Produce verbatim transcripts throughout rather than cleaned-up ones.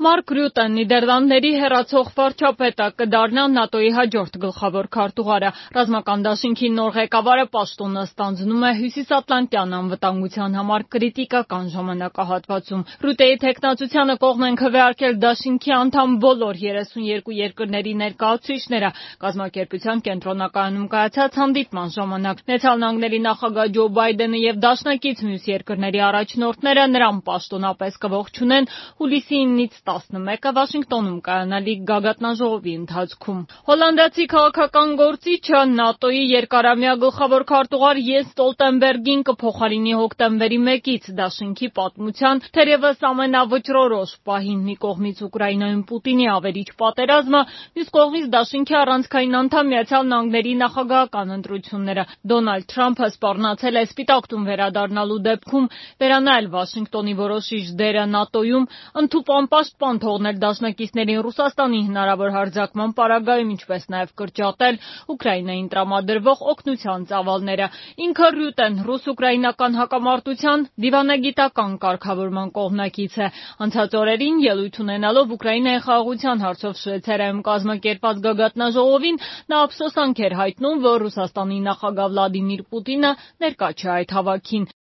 Մարկ Ռյուտեն Նիդերլանդների հեռացող վարչապետը կդառնա ՆԱՏՕ-ի հաջորդ գլխավոր քարտուղարը։ Ռազմական դաշինքի նոր ղեկավարը պաշտոնը ստանձնում է Հյուսիսատլանտյան անվտանգության համար կրիտիկական ժամանակահատվածում։ Ռյուտեի թեկնածությանը կողմ են քվեարկել դաշինքի անդամ բոլոր երեսունյոթ երկրների ներկայացուցիչները կազմակերպության կենտրոնակայանում կայացած հանդիպման ժամանակ։ Միացյալ Նահանգների նախագահ Ջո Բայդենը եւ դաշնակից մյուս երկրների առաջնորդները նրան պաշտոնապես կողջունեն հուլիսի ինից տասնմեկը Վաշինգտոնում կայանալիք գագաթնաժողովի ընթացքում։ Հոլանդացի քաղաքական գործիչը ՆԱՏՕ-ի երկարամյա գլխավոր քարտուղար Յենս Ստոլտենբերգին կփոխարինի հոկտեմբերի մեկից դաշինքի պատմության թերևս ամենավճռորոշ պահին՝ մի կողմից Ուկրաինայում Պուտինի ավերիչ պատերազմը, մյուս կողմից դաշինքի առանցքային անդամ Միացյալ Նահանգների նախագահական ընտրությունները։ Դոնալդ Թրամփը սպառնացել է Սպիտակ տուն վերադառնալու դեպքում վերանայել Վաշինգտոնի որոշիչ դերը ՆԱՏՕ-ում, ընդհուպ անպաշտպան թողնել դաշնակիցներին Ռուսաստանի հնարավոր հարձակման պարագայում, ինչպես նաև կրճատել Ուկրաինային տրամադրվող օգնության ծավալները։ Ինքը Ռյուտեն ռուս-ուկրաինական հակամարտության դիվանագիտական կարգավորման կողմնակից է։ Անցած օրերին ելույթ ունենալով Ուկրաինայի խաղաղության հարցով Շվեյցարիայում կազմակերպված գագաթնաժողովին նա ափսոսանք էր հայտնում, որ Ռուսաստանի նախագահ Վլադիմիր Պուտինը ներկա չէ այդ հավաքին։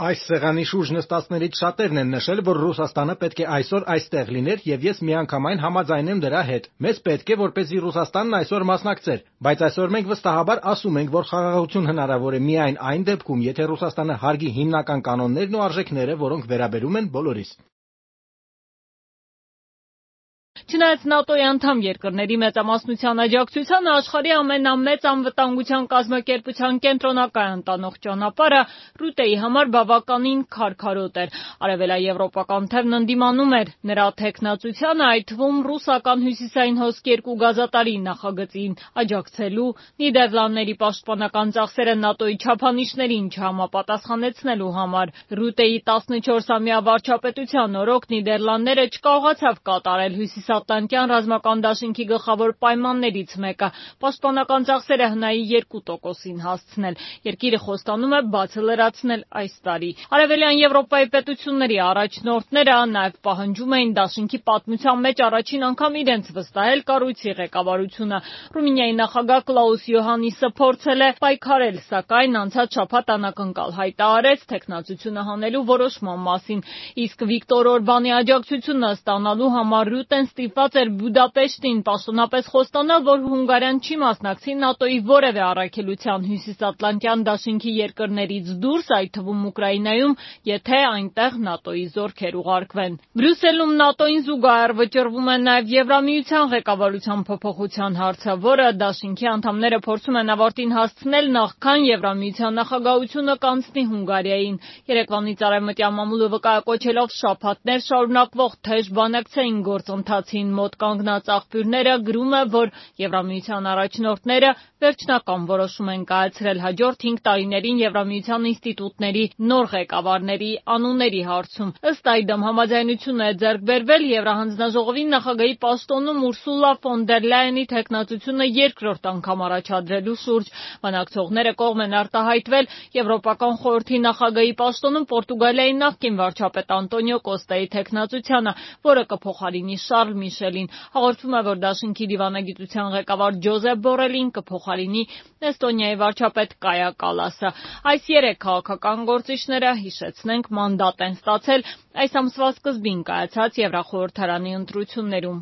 Այս սեղանի շուրջ նստածներից շատերն են նշել, որ Ռուսաստանը պետք է այսօր այստեղ լիներ եւ ես միանգամայն համաձայն եմ դրա հետ։ Մեզ պետք է, որպեսզի Ռուսաստանն այսօր մասնակցեր, բայց այսօր մենք վստահաբար ասում ենք, որ խաղաղություն հնարավոր է միայն այն դեպքում, եթե Ռուսաստանը հարգի հիմնական կանոններն ու արժեքները, որոնք վերաբերում են բոլորիս։ Չնայած ՆԱՏՕ-ի անդամ երկրների մեծամասնության աջակցությանը աշխարհի ամենամեծ անվտանգության կազմակերպության կենտրոնակայան տանող ճանապարհը Ռյուտեի համար բավականին քարքարոտ էր։ Արևելաեվրոպական թևն ընդդիմանում էր նրա թեկնածությանը, այդ թվում ռուսական հյուսիսային հոսք երկու գազատարի նախագծին աջակցելու, Նիդերլանդների պաշտպանական ծախսերը ՆԱՏՕ-ի չափանիշներին չհամապատասխանեցնելու համար։ Ռյուտեի տասնչորսամյա վարչապետության օրոք Նիդերլանդները չկարողացավ կատարել Հյուսիսատլանտյան ռազմական դաշինքի գլխավոր պայմաններից մեկը՝ պաշտպանական ծախսերը հնայի երկու տոկոսին հասցնել։ Երկիրը խոստանում է բացը լրացնել այս տարի։ Արևելյան Եվրոպայի պետությունների առաջնորդները նաև պահանջում էին դաշինքի պատմության մեջ առաջին անգամ իրենց վստահել կառույցի ղեկավարությունը։ Ռումինիայի նախագահ Կլաուս Յոհաննիսը փորձել է պայքարել, սակայն անցած շաբաթ անակնկալ հայտարարեց թեկնածությունը հանելու որոշման մասին։ Իսկ Վիկտոր Օրբանի աջակցությունը ստանալու համար Ռյուտեն ստիպված էր Բուդապեշտին պաշտոնապես խոստանալ, որ Հունգարիան չի մասնակցի ՆԱՏՕ-ի որևէ առաքելության Հյուսիսատլանտյան դաշինքի երկրներից դուրս, այդ թվում Ուկրաինայում, եթե այնտեղ ՆԱՏՕ-ի զորքեր ուղարկվեն։ Բրյուսելում ՆԱՏՕ-ին զուգահեռ վճռվում է նաև Եվրամիության ղեկավարության փոփոխության հարցը, որը դաշինքի անդամները փորձում են ավարտին հասցնել նախքան Եվրամիության նախագահությունը կանցնի Հունգարիային։ Երեկվանից արևմտյան մամուլը վկայակոչելով շաբաթներ շարունակվող թեժ բանակցային գործընթացին մոտ կանգնած աղբյուրները գրում է, որ Եվրամիության առաջնորդները վերջնական որոշում են կայացրել հաջորդ հինգ տարիներին Եվրամիության ինստիտուտների նոր ղեկավարների անունների հարցում։ Ըստ այդմ համաձայնություն է ձեռք բերվել Եվրահանձնաժողովի նախագահի պաշտոնում Ուրսուլա ֆոն դեր Լայենի թեկնածությունը երկրորդ անգամ առաջադրելու շուրջ։ Բանակցողները կողմ են արտահայտվել Եվրոպական խորհրդի նախագահի պաշտոնում Պորտուգալիայի նախկին վարչապետ Անտոնիո Կոստայի թեկնածությանը, որը կփոխարինի Շարլ Միշելին։ Հաղորդվում է, որ դաշինքի դիվանագիտության ղեկավար Ջոզեփ Բորելին կփոխարինի Էստոնիայի վարչապետ Կայա Կալասը։ Այս երեք քաղաքական գործիչները, հիշեցնենք, մանդատ են ստացել այս ամսվա սկզբին կայացած Եվրախորհրդարանի ընտրություններում։